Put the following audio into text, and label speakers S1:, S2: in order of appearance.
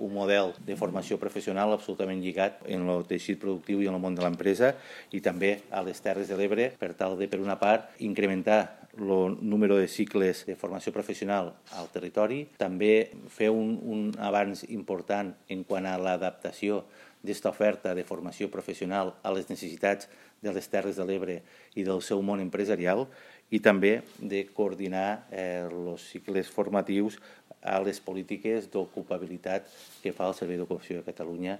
S1: un model de formació professional absolutament lligat en el teixit productiu i en el món de l'empresa i també a les Terres de l'Ebre per tal de, per una part, incrementar el número de cicles de formació professional al territori, també fer un avanç important en quant a l'adaptació d'esta oferta de formació professional a les necessitats de les Terres de l'Ebre i del seu món empresarial i també de coordinar els cicles formatius a les polítiques d'ocupabilitat que fa el Servei d'Ocupació de Catalunya